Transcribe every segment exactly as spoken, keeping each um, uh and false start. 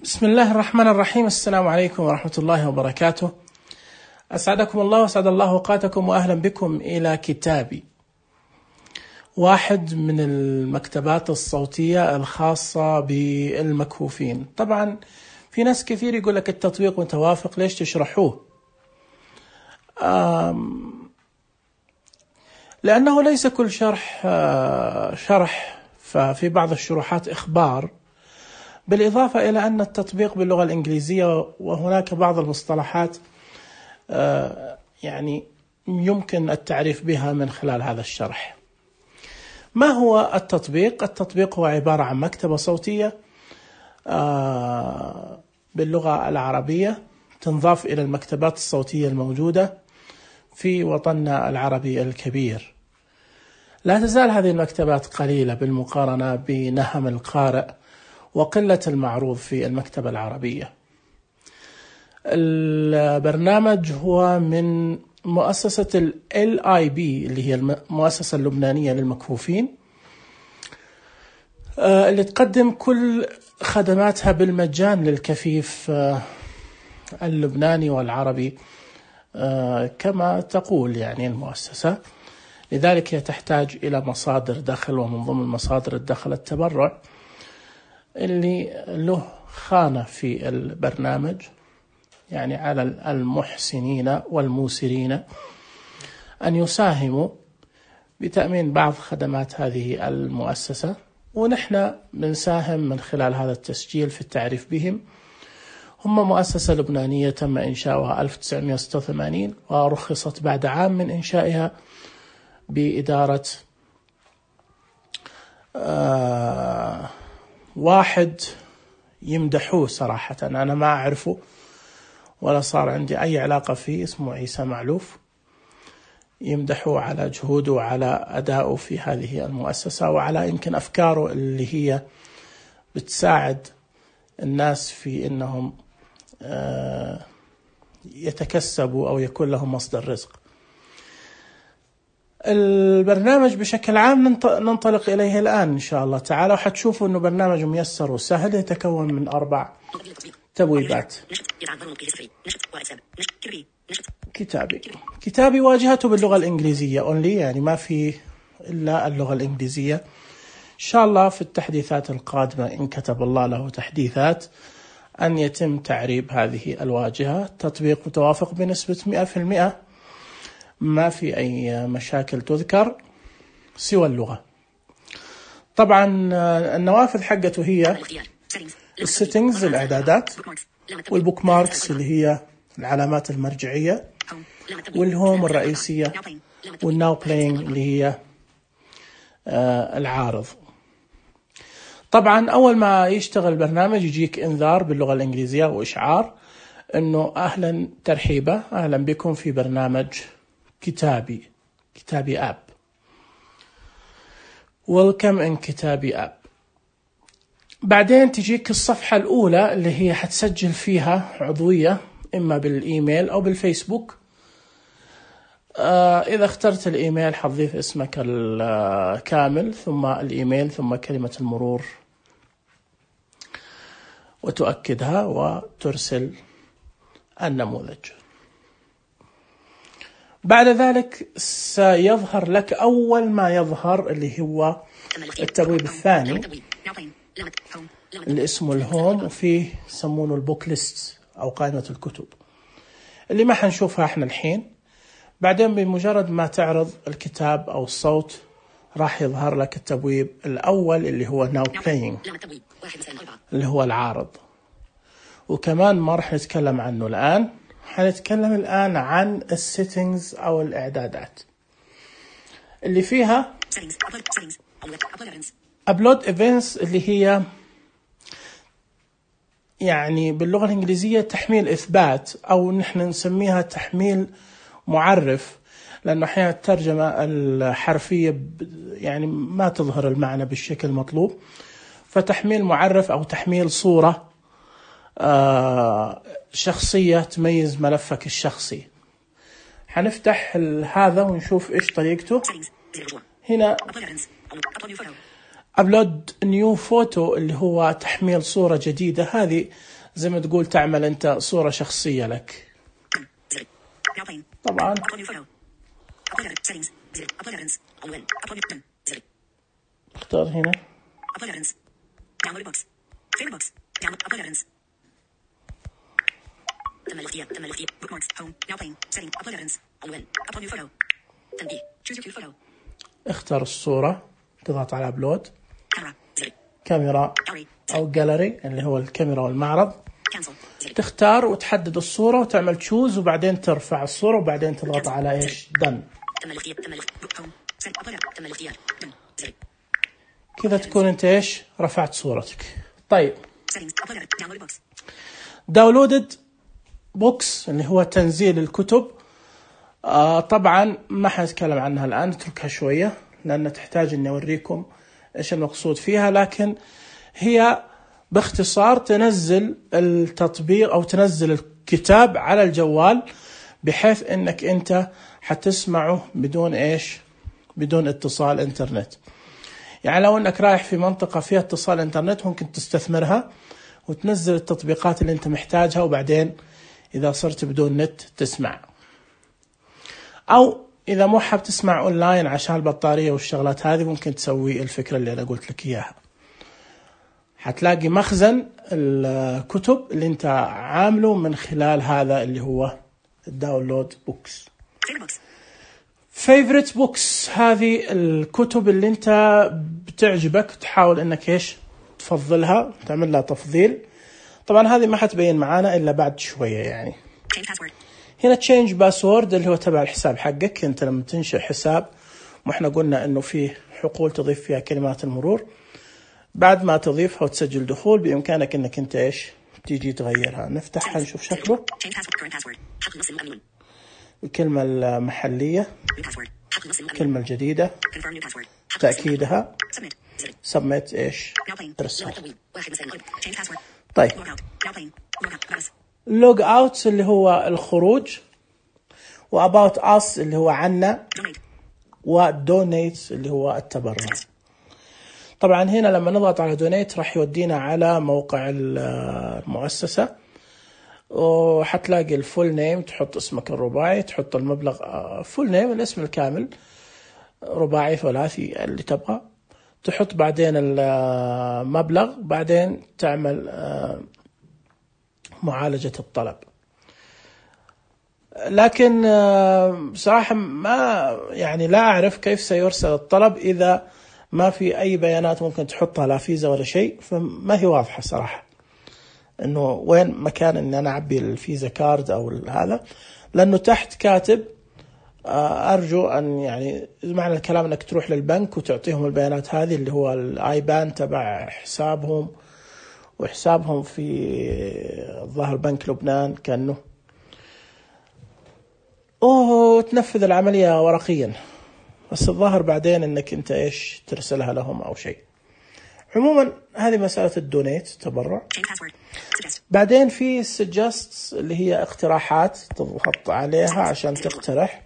بسم الله الرحمن الرحيم. السلام عليكم ورحمة الله وبركاته. أسعدكم الله وأسعد الله أوقاتكم وأهلا بكم إلى كتابي، واحد من المكتبات الصوتية الخاصة بالمكفوفين. طبعا في ناس كثير يقول لك التطبيق متوافق، ليش تشرحوه؟ لأنه ليس كل شرح شرح، ففي بعض الشروحات إخبار، بالإضافة إلى أن التطبيق باللغة الإنجليزية، وهناك بعض المصطلحات يعني يمكن التعريف بها من خلال هذا الشرح. ما هو التطبيق؟ التطبيق هو عبارة عن مكتبة صوتية باللغة العربية تنضاف إلى المكتبات الصوتية الموجودة في وطننا العربي الكبير. لا تزال هذه المكتبات قليلة بالمقارنة بنهم القارئ وقلة المعروض في المكتبة العربية. البرنامج هو من مؤسسة ال إل آي بي اللي هي المؤسسة اللبنانية للمكفوفين، اللي تقدم كل خدماتها بالمجان للكفيف اللبناني والعربي كما تقول يعني المؤسسة. لذلك هي تحتاج إلى مصادر دخل، ومن ضمن مصادر الدخل التبرع اللي له خانة في البرنامج، يعني على المحسنين والموسرين أن يساهموا بتأمين بعض خدمات هذه المؤسسة، ونحن بنساهم من خلال هذا التسجيل في التعريف بهم. هم مؤسسة لبنانية تم إنشاؤها ألف وتسعمائة وستة وثمانين ورخصت بعد عام من إنشائها بإدارة آه واحد يمدحوه صراحة، أنا ما أعرفه ولا صار عندي أي علاقة فيه، اسمه عيسى معلوف. يمدحوه على جهوده وعلى أدائه في هذه المؤسسة، وعلى يمكن أفكاره اللي هي بتساعد الناس في أنهم يتكسبوا أو يكون لهم مصدر رزق. البرنامج بشكل عام ننطلق إليه الآن إن شاء الله تعالى، وحتشوفوا أنه برنامج ميسر وسهل، يتكون من أربع تبويبات. كتابي كتابي واجهته باللغة الإنجليزية only، يعني ما في إلا اللغة الإنجليزية. إن شاء الله في التحديثات القادمة إن كتب الله له تحديثات أن يتم تعريب هذه الواجهة. تطبيق متوافق بنسبة مئة في المئة، ما في أي مشاكل تذكر سوى اللغة. طبعا النوافذ حقته هي السيتنجز الإعدادات، والبوك ماركس اللي هي العلامات المرجعية، والهوم الرئيسية، والناو بلاينج اللي هي العارض. طبعا أول ما يشتغل البرنامج يجيك إنذار باللغة الإنجليزية وإشعار أنه أهلا ترحيبا أهلا بكم في برنامج كتابي كتابي آب. Welcome in كتابي آب. بعدين تجيك الصفحة الأولى اللي هي حتسجل فيها عضوية إما بالإيميل أو بالفيسبوك. آه إذا اخترت الإيميل حتضيف اسمك الكامل ثم الإيميل ثم كلمة المرور وتؤكدها وترسل النموذج. بعد ذلك سيظهر لك أول ما يظهر اللي هو التبويب الثاني اللي اسمه الهوم، وفيه يسمونه البوك ليست أو قائمة الكتب اللي ما حنشوفها احنا الحين. بعدين بمجرد ما تعرض الكتاب أو الصوت راح يظهر لك التبويب الأول اللي هو now playing اللي هو العارض. وكمان ما راح نتكلم عنه الآن، حنتكلم الآن عن السيتنجز أو الإعدادات اللي فيها upload events اللي هي يعني باللغة الإنجليزية تحميل إثبات، أو نحن نسميها تحميل معرف، لأنه أحيانا الترجمة الحرفية يعني ما تظهر المعنى بالشكل المطلوب. فتحميل معرف أو تحميل صورة آه شخصية تميز ملفك الشخصي. حنفتح هذا ونشوف إيش طريقته. هنا أبلود نيو فوتو اللي هو تحميل صورة جديدة، هذه زي ما تقول تعمل أنت صورة شخصية لك. طبعا اختار هنا تم الاختيار تم الاختيار bookmarks home now playing setting upload evidence عنوان upload new photo تنبيه choose your cue photo. اختار الصورة، تضغط على أبلود، كاميرا زر كاميرا أو جاليري اللي هو الكاميرا والمعرض، تختار وتحدد الصورة وتعمل تشوز، وبعدين ترفع الصورة وبعدين تضغط على إيش done. تم الاختيار تم الاختيار home setting upload تم الاختيار done زر كذا تكون أنت إيش رفعت صورتك. طيب settings upload download books داونلودد بوكس اللي هو تنزيل الكتب. آه طبعا ما حنتكلم عنها الآن، نتركها شوية لأن تحتاج أني أوريكم إيش المقصود فيها، لكن هي باختصار تنزل التطبيق أو تنزل الكتاب على الجوال بحيث أنك أنت حتسمعه بدون إيش بدون اتصال إنترنت. يعني لو أنك رايح في منطقة فيها اتصال إنترنت ممكن تستثمرها وتنزل التطبيقات اللي أنت محتاجها، وبعدين إذا صرت بدون نت تسمع، أو إذا مو حاب تسمع أونلاين عشان البطارية والشغلات هذه ممكن تسوي الفكرة اللي أنا قلت لك إياها. حتلاقي مخزن الكتب اللي أنت عامله من خلال هذا اللي هو الداونلود بوكس. فيفوريت بوكس هذه الكتب اللي أنت بتعجبك تحاول إنك إيش تفضلها، تعمل لها تفضيل. طبعا هذه ما حتبين معانا إلا بعد شوية. يعني هنا تشينج باسورد اللي هو تبع الحساب حقك. أنت لما تنشئ حساب وإحنا قلنا إنه فيه حقول تضيف فيها كلمات المرور، بعد ما تضيفها وتسجل دخول بإمكانك إنك أنت إيش تيجي تغيرها. نفتحها نشوف شكله. الكلمة المحلية، الكلمة الجديدة، تأكيدها، سبميت إيش إرسال. طيب لوج اوت اللي هو الخروج، واباوت اس اللي هو عنا، ودونيت اللي هو التبرع. طبعا هنا لما نضغط على دونيت راح يودينا على موقع المؤسسة، وحتلاقي الفول نيم، تحط اسمك الرباعي، تحط المبلغ فول نيم الاسم الكامل رباعي ثلاثي اللي تبغى، تحط بعدين المبلغ، بعدين تعمل معالجة الطلب. لكن بصراحة ما يعني لا أعرف كيف سيرسل الطلب إذا ما في أي بيانات ممكن تحطها، لا فيزا ولا شيء، فما هي واضحة صراحة إنه وين مكان إن أنا أعبي الفيزا كارد أو هذا، لأنه تحت كاتب أرجو أن يعني معنى الكلام أنك تروح للبنك وتعطيهم البيانات هذه اللي هو الآيبان تبع حسابهم وحسابهم في ظهر بنك لبنان كأنه، وتنفذ العملية ورقيا، بس الظاهر بعدين أنك أنت إيش ترسلها لهم أو شيء. عموما هذه مسألة الدونيت تبرع. بعدين في suggest اللي هي اقتراحات، تضغط عليها عشان تقترح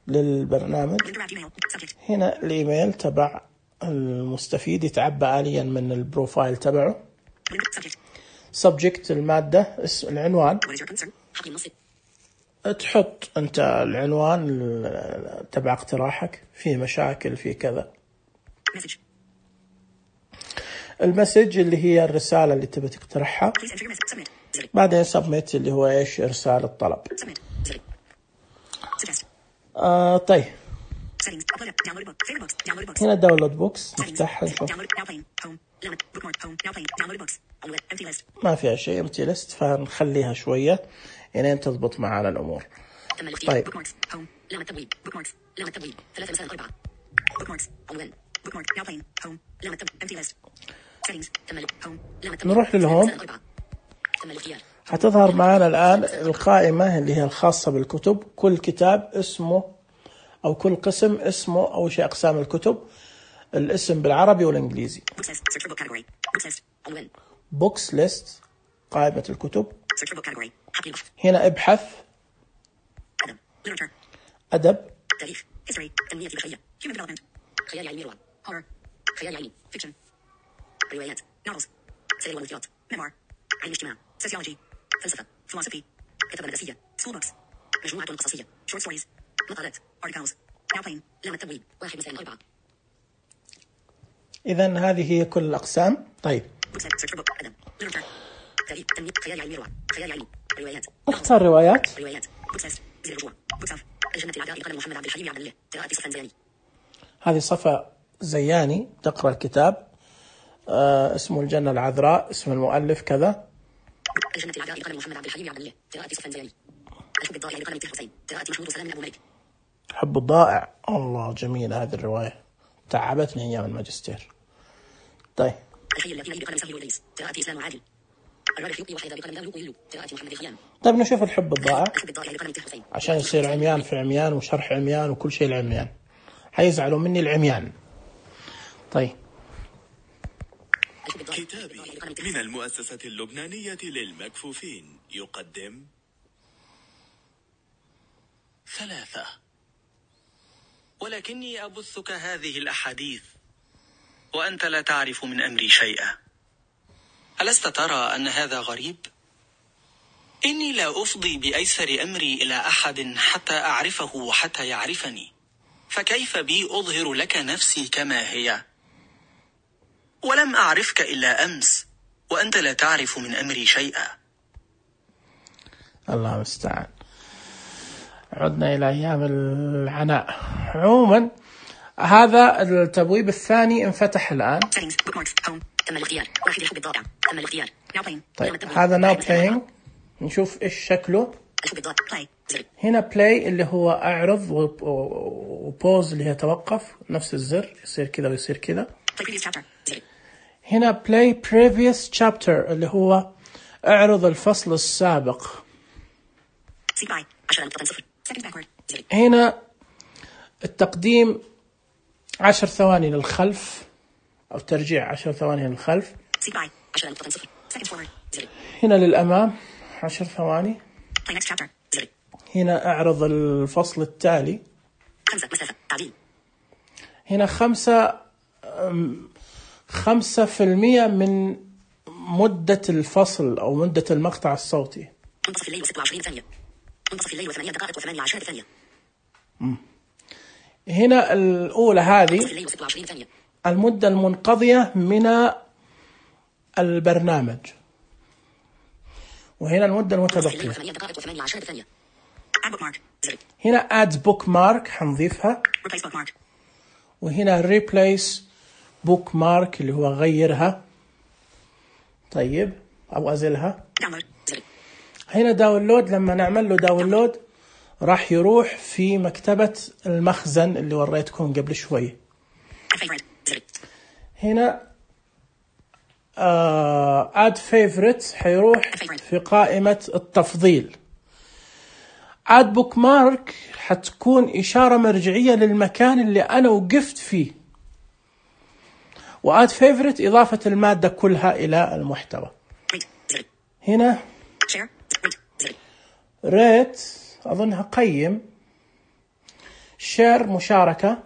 للبرنامج. هنا الإيميل تبع المستفيد يتعبى آليا من البروفايل تبعه. subject المادة، اسم العنوان، تحط أنت العنوان تبع اقتراحك، في مشاكل في كذا. المسج اللي هي الرسالة اللي تبي تقترحها، بعدين submit اللي هو إيش إرسال الطلب. آه طيب هنا داونلود بوكس، نفتحها نشوف ما فيها شيء، empty list، فنخليها شوية يعني تضبط معنا الأمور. طيب نروح للهوم. هتظهر معنا الآن القائمة اللي هي الخاصة بالكتب، كل كتاب اسمه أو كل قسم اسمه أو شيء أقسام الكتب، الاسم بالعربي والإنجليزي. بوكس ليست قائمة الكتب. هنا ابحث، أدب، fiction روايات novels سير والمذكرات memoir علم الاجتماع sociology فلسفة philosophy كتابة مدرسية school books مجموعة قصصية short stories مقالات articles now playing لام التبويب واحد مساء أربعة. إذن هذه هي كل الأقسام. طيب اختار روايات. روايات زي الرجوع الجنة العذراء لقلم محمد عبد الحليم عبد الله قراءة صفا زياني. هذه صفا زياني تقرأ الكتاب. آه اسمه الجنة العذراء، اسم المؤلف كذا. الجنة العذراء لقلم محمد عبد الحليم عبد الله قراءة صفا زياني. الحب الضائع لقلم طه حسين قراءة محمود وسلام من أبو ملك. الحب الضائع، الله جميلة هذه الرواية، تعبتني أيام الماجستير. طيب الحي الذي بقلم سهل ودريس قراءة إسلام وعادل. الرابع يبقي وحيدا بقلم داوود ويلو قراءة محمد خيام. طيب نشوف الحب الضائع الحب الضائع لقلم طه حسين عشان يصير عميان في عميان وشرح عميان وكل شيء العميان، حيزعلوا مني العميان. طيب كتابي من المؤسسة اللبنانية للمكفوفين يقدم ثلاثة. ولكني أبثك هذه الأحاديث وأنت لا تعرف من أمري شيئا. ألست ترى أن هذا غريب؟ إني لا أفضي بأيسر أمري إلى أحد حتى أعرفه وحتى يعرفني، فكيف بي أظهر لك نفسي كما هي؟ ولم أعرفك إلا أمس وأنت لا تعرف من أمري شيئا. الله المستعان، عدنا إلى أيام العناء. عموما هذا التبويب الثاني انفتح الآن. تم الاختيار واحد الحب الضائع تم الاختيار. طيب هذا ناو بلاينج، نشوف إيش شكله. هنا بلاي اللي هو أعرض، وبوز اللي هي توقف، نفس الزر يصير كذا ويصير كذا. هنا play previous chapter اللي هو اعرض الفصل السابق. هنا التقديم عشر ثواني للخلف أو ترجيع عشر ثواني للخلف. هنا للأمام عشر ثواني. هنا اعرض الفصل التالي. هنا خمسة خمسة في المية من مدة الفصل أو مدة المقطع الصوتي. منتصف الليل وستة وعشرين ثانية. منتصف الليل وثمانية دقائق وثمانية عشر ثانية. هنا الأولى هذه المدة المنقضية من البرنامج، وهنا المدة المتبقية. هنا add bookmark حنضيفها، وهنا replace bookmark اللي هو غيرها، طيب أو أزلها. هنا داونلود، لما نعمل له داونلود راح يروح في مكتبة المخزن اللي وريتكم قبل شوي. هنا uh, add favorite حيروح في قائمة التفضيل. add bookmark حتكون إشارة مرجعية للمكان اللي أنا وقفت فيه، وadd favorite إضافة المادة كلها إلى المحتوى. هنا rate أظنها قيم، share مشاركة،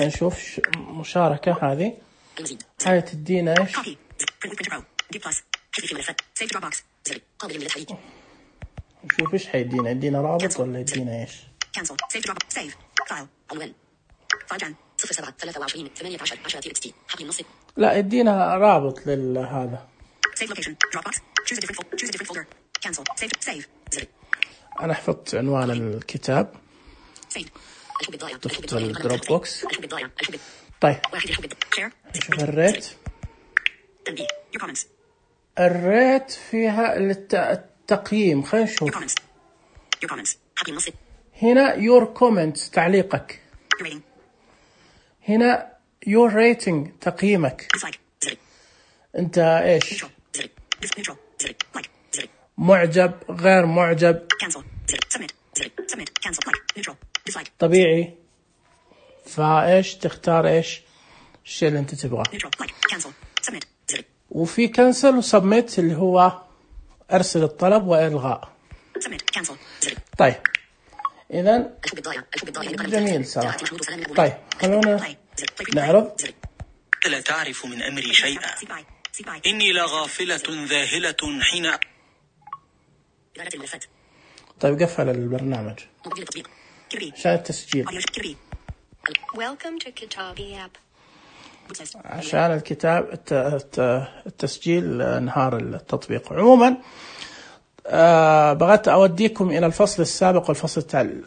نشوف مشاركة هذه هاي تدينا إيش؟ نشوف إيش حيدينا، يدينا رابط ولا يدينا إيش؟ لا يدينا رابط لهذا. أنا حفظت عنوان الكتاب، ضفت الدروب بوكس. طيب نشوف الريت. الريت فيها التقييم، خلينا نشوف. هنا your comment تعليقك، هنا your rating تقييمك، أنت إيش؟ معجب، غير معجب، طبيعي، فايش تختار ايش الشيء اللي انت تبغاه. وفي كنسل وسبميت اللي هو ارسل الطلب والغاء. طيب اذا جميل صراحة. طيب خلونا نعرض. لا تعرف من أمري شيئا، إني لغافلة ذاهلة حين. طيب قفل البرنامج عشان التسجيل، عشان الكتاب التسجيل انهار التطبيق. عموما آه بغيت أوديكم إلى الفصل السابق والفصل التالي.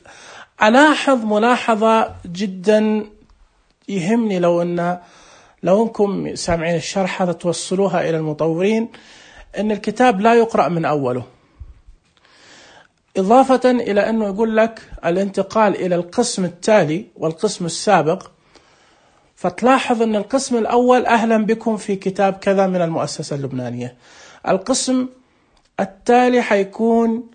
ألاحظ ملاحظة جدا يهمني، لو أن لو أنكم سامعين الشرح هذا توصلوها إلى المطورين، أن الكتاب لا يقرأ من أوله، إضافة إلى أنه يقول لك الانتقال إلى القسم التالي والقسم السابق، فتلاحظ أن القسم الأول أهلا بكم في كتاب كذا من المؤسسة اللبنانية، القسم التالي حيكون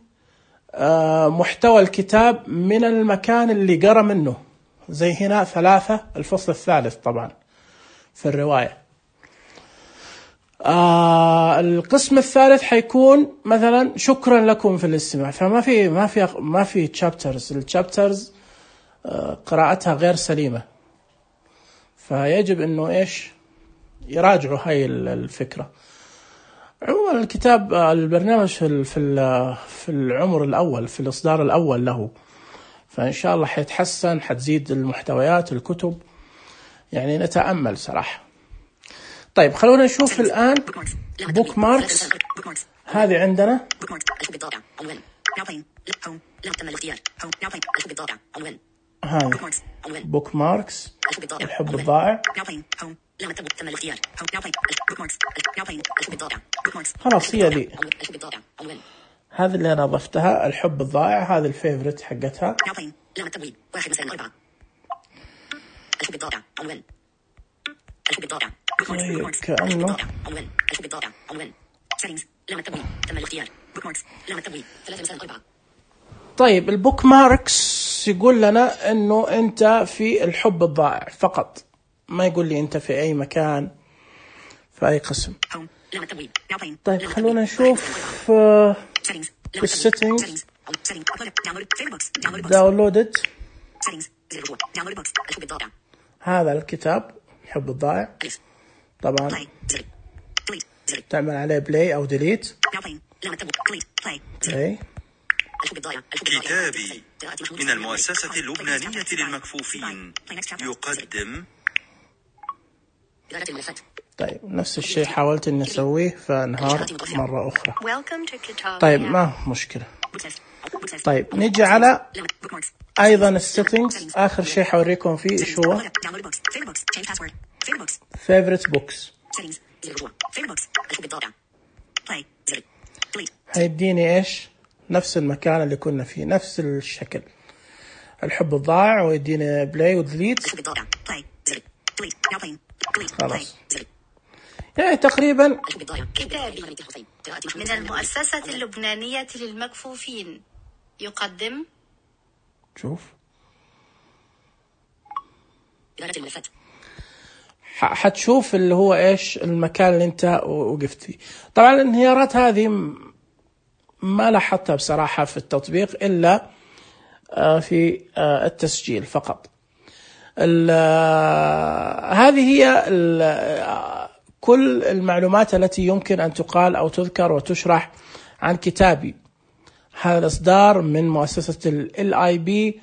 محتوى الكتاب من المكان اللي قرأ منه، زي هنا ثلاثة الفصل الثالث طبعا في الرواية. آه القسم الثالث حيكون مثلا شكرا لكم في الاستماع، فما في ما في ما في تشابترز، التشابترز آه قراءتها غير سليمة، فيجب انه ايش يراجعوا هاي الفكرة. عموما الكتاب البرنامج في في في العمر الأول، في الإصدار الأول له، فإن شاء الله حيتحسن، حتزيد المحتويات الكتب، يعني نتأمل صراحة. طيب خلونا نشوف الآن بوك ماركس. هذه عندنا هاي بوك ماركس الحب الضائع. خلاص هي ذي، هذه اللي أنا ضفتها، الحب الضائع، هذه الفيفوريت حقتها. طيب كأنه طيب البوك ماركس يقول لنا انه انت في الحب الضائع فقط، ما يقول لي انت في اي مكان في اي قسم. طيب خلونا نشوف في السيتنجز داونلودد، هذا الكتاب الحب الضائع، طبعا تعمل عليه بلاي او ديليت. بلاي. كتابي من المؤسسة اللبنانية للمكفوفين يقدم. طيب نفس الشيء حاولت اني اسويه فانهار مرة اخرى. طيب ما مشكلة. طيب نيجي على ايضا السيتنجز، اخر شيء حوريكم فيه ايش هو favorite books. هيديني ايش نفس المكان اللي كنا فيه، نفس الشكل، الحب الضائع، ويديني بلاي وديليت. خلاص يعني تقريبا. كتابي من المؤسسة اللبنانية للمكفوفين يقدم. شوف حتشوف اللي هو ايش المكان اللي انت وقفت فيه. طبعا الانهيارات هذه ما لاحظتها بصراحة في التطبيق إلا في التسجيل فقط. هذه هي كل المعلومات التي يمكن أن تقال أو تذكر وتشرح عن كتابي. هذا الإصدار من مؤسسة ال آي بي،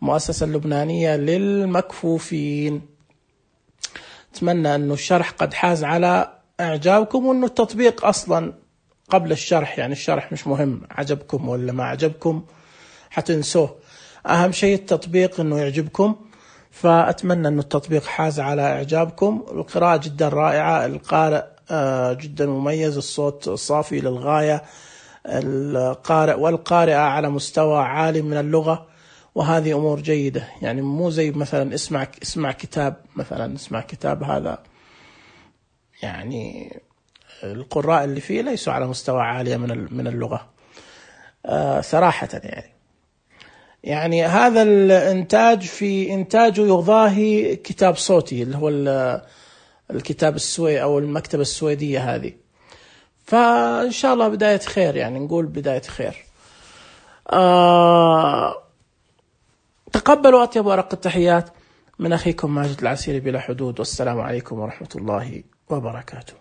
المؤسسة اللبنانية للمكفوفين. أتمنى أنه الشرح قد حاز على إعجابكم، وأنه التطبيق أصلا قبل الشرح، يعني الشرح مش مهم عجبكم ولا ما عجبكم حتنسوه، أهم شيء التطبيق أنه يعجبكم. فأتمنى أنه التطبيق حاز على إعجابكم. القراءة جدا رائعة، القارئ جدا مميز، الصوت صافي للغاية، القارئ والقارئة على مستوى عالي من اللغة، وهذه أمور جيدة. يعني مو زي مثلا اسمع اسمع كتاب، مثلا اسمع كتاب هذا يعني القراء اللي فيه ليسوا على مستوى عالي من من اللغة آه صراحة. يعني يعني هذا الإنتاج في إنتاجه يضاهي كتاب صوتي اللي هو الكتاب السوي أو المكتبة السويدية هذه. فإن شاء الله بداية خير، يعني نقول بداية خير. آه تقبلوا أطيب ورق التحيات، من أخيكم ماجد العسيري بلا حدود، والسلام عليكم ورحمة الله وبركاته.